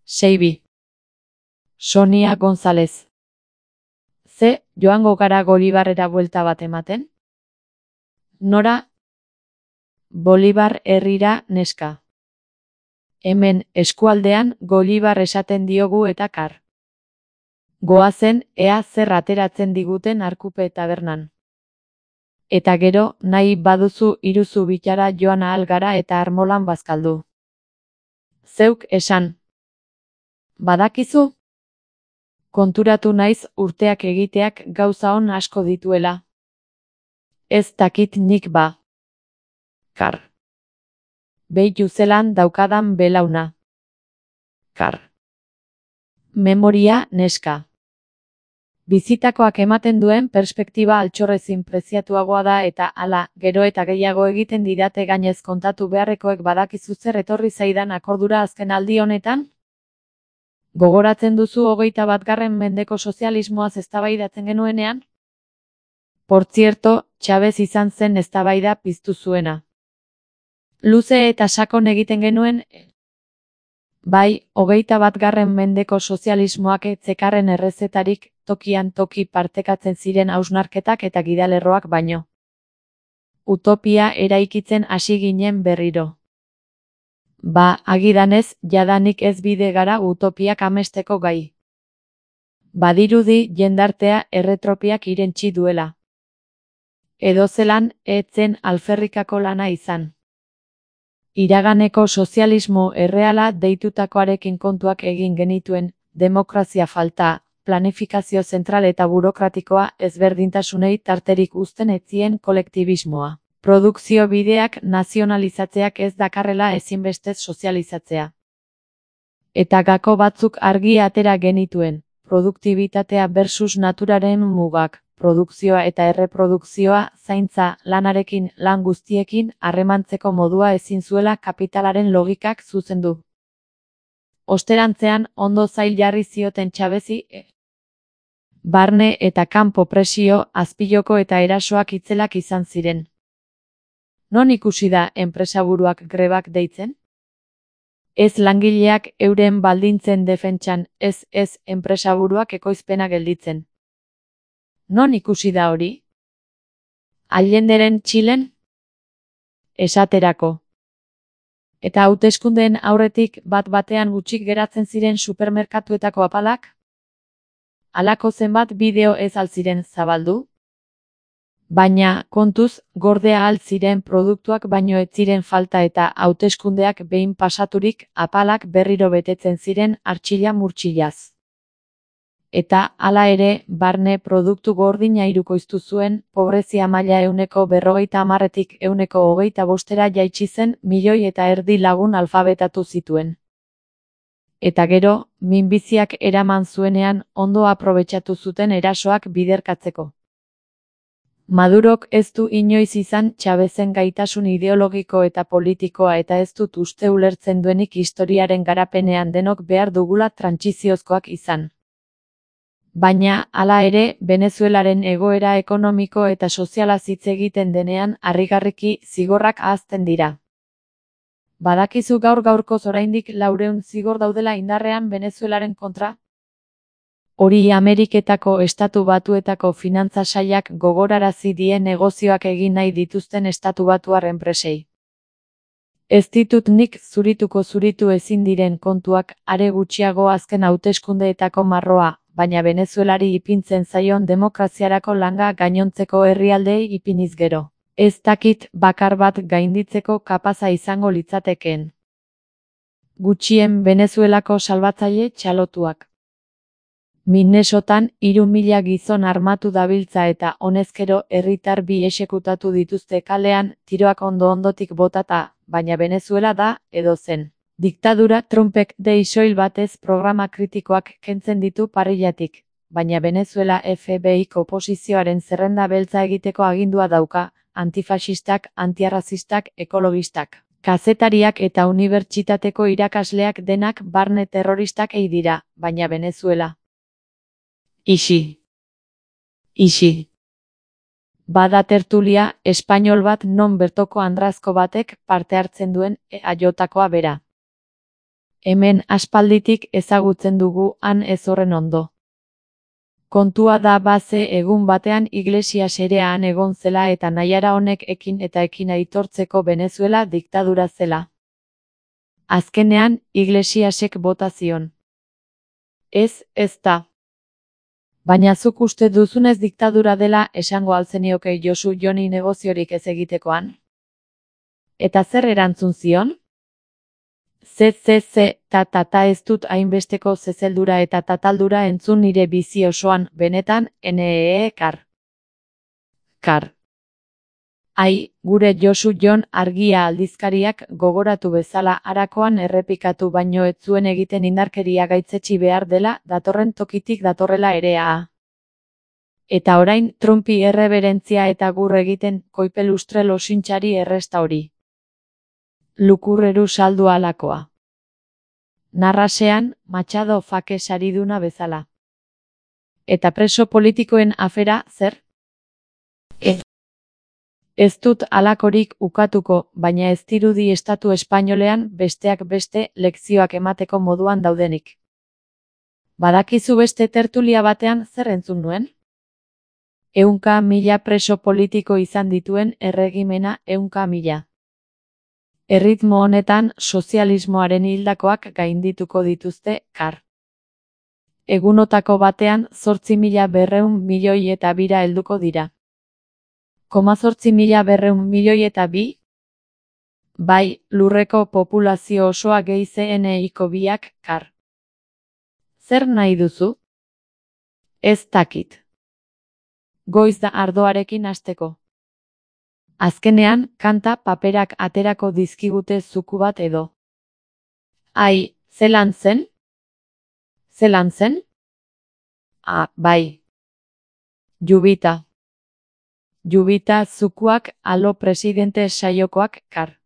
Seibi. Sonia González. Ze, joango gara Bolibarrera buelta bat ematen? Nora? Bolibar herrira, neska. Hemen eskualdean Bolibar esaten diogu eta kar. Goazen ea zer ateratzen diguten Arkupe tabernan. Eta gero, nahi baduzu iruzu bitara joan ahal gara eta armolan bazkaldu. Zeuk esan. Badakizu? Konturatu naiz urteak egiteak gauza on asko dituela. Ez dakit nik ba. Kar. Behitu zelan daukadan belauna. Kar. Memoria, neska. Bizitakoak ematen duen perspektiba altxorrezin preziatuagoa da eta hala, gero eta gehiago egiten didate gainez kontatu beharrekoek badakizu zer etorri zaidan akordura azken aldi honetan? Gogoratzen duzu 21. mendeko sozialismoaz eztabaidatzen genuenean? Por cierto, Chavez izan zen eztabaida piztu zuena. Luze eta sakon egiten genuen? Bai, 21. mendeko sozialismoak etzekarren errezetarik, tokian toki partekatzen ziren hausnarketak eta gidalerroak baino. Utopia eraikitzen hasi ginen berriro. Ba, agidanez, jadanik ez bide gara utopiak amesteko gai. Badirudi jendartea erretropiak irentsi duela. Edozelan, etzen alferrikako lana izan. Iraganeko sozialismo erreala deitutakoarekin kontuak egin genituen, demokrazia falta, planifikazio zentral eta burokratikoa ezberdintasunei tarterik uzten etzien kolektibismoa. Produkzio bideak nazionalizatzeak ez dakarrela ezinbestez sozializatzea. Eta gako batzuk argi atera genituen, produktibitatea versus naturaren mugak, produkzioa eta erreprodukzioa, zaintza, lanarekin, lan guztiekin, harremantzeko modua ezin zuela kapitalaren logikak zuzendu. Osterantzean, ondo zail jarri zioten Chavezi, barne eta kanpo presio, azpiloko eta erasoak itzelak izan ziren. Non ikusi da enpresaburuak grebak deitzen? Ez langileak euren baldintzen defentsan, ez enpresaburuak ekoizpena gelditzen. Non ikusi da hori? Allenderen Txilen? Esaterako. Eta hauteskundeen aurretik bat-batean gutxik geratzen ziren supermerkatuetako apalak? Halako zenbat bideo ez altziren zabaldu? Baina, kontuz, gordea altziren produktuak baino ez ziren falta eta hauteskundeak behin pasaturik apalak berriro betetzen ziren artxila murtxilaz. Eta, hala ere, barne produktu gordina hirukoiztu zuen, pobrezia maila 50%tik 25%ra jaitsi zen, 1,5 milioi lagun alfabetatu zituen. Eta gero, minbiziak eraman zuenean, ondo aprobetxatu zuten erasoak biderkatzeko. Madurok ez du inoiz izan Chavezen gaitasun ideologiko eta politikoa eta ez dut uste ulertzen duenik historiaren garapenean denok behar dugula trantsiziozkoak izan. Baina, hala ere, Venezuelaren egoera ekonomiko eta soziala hitz egiten denean harrigarriki zigorrak ahazten dira. Badakizu gaur-gaurkoz oraindik 400 zigor daudela indarrean Venezuelaren kontra? Hori Ameriketako Estatu Batuetako finantza sailak gogorarazi die negozioak egin nahi dituzten Estatu Batuar enpresei. Ez ditut nik zuritu ezin diren kontuak, are gutxiago azken hauteskundeetako marroa, baina Venezuelari ipintzen zaion demokraziarako langa gainontzeko herrialdeei ipiniz gero. Ez dakit bakar bat gainditzeko kapaza izango litzatekeen. Gutxien Venezuelako salbatzaile txalotuak. Minnesotan 3.000 gizon armatu dabiltza eta honezkero herritar 2 exekutatu dituzte kalean, tiroak ondo-ondotik botata, baina Venezuela da, edo zen. Diktadura Trumpek soil batez programa kritikoak kentzen ditu parrillatik, baina Venezuela FBI-ko oposizioaren zerrenda beltza egiteko agindua dauka, antifaxistak, antiarrazistak, ekologistak. Kazetariak eta unibertsitateko irakasleak denak barne terroristak ei dira, baina Venezuela. Ixi. Bada tertulia, espainol bat non bertoko andrazko batek parte hartzen duen eaiotakoa bera. Hemen aspalditik ezagutzen dugu han ez horren ondo. Kontua da baze egun batean Iglesias ere han egon zela eta Naiara honek ekin eta ekin aitortzeko Venezuela diktadura zela. Azkenean, Iglesiasek bota zion. Ez da. Baina zuk uste duzunez diktadura dela esango alzenioke Josu Joni negoziorik ez egitekoan? Eta zer erantzun zion? Ta ez dut hainbesteko zezeldura eta tataldura entzun nire bizi osoan, benetan, kar. Ai, gure Josu Jon Argia aldizkariak gogoratu bezala harakoan errepikatu baino ez zuen egiten indarkeria gaitzetsi behar dela datorren tokitik datorrela erea. Eta orain Trumpi erreberentzia eta gur egiten koipelustre losintxari erresta hori. Lukurreru saldu alakoa. Narrasean, Machado fake sariduna bezala. Eta preso politikoen afera, zer? Ez dut alakorik ukatuko, baina ez dirudi estatu espainolean besteak beste lekzioak emateko moduan daudenik. Badakizu beste tertulia batean zer entzun nuen? 100.000 preso politiko izan dituen erregimena 100.000. Erritmo honetan sozialismoaren hildakoak gaindituko dituzte, kar. Egunotako batean 8.200 milioi eta bira helduko dira. 8.200 milioi eta bi? Bai, lurreko populazio osoa gehi CNI-ko biak, kar. Zer nahi duzu? Ez dakit. Goiz da ardoarekin hasteko. Azkenean, kanta paperak aterako dizkigute zuku bat edo. Ai, zelan zen? Zelan zen? Bai. Jubita zukuak alo presidente saiokoak, kar.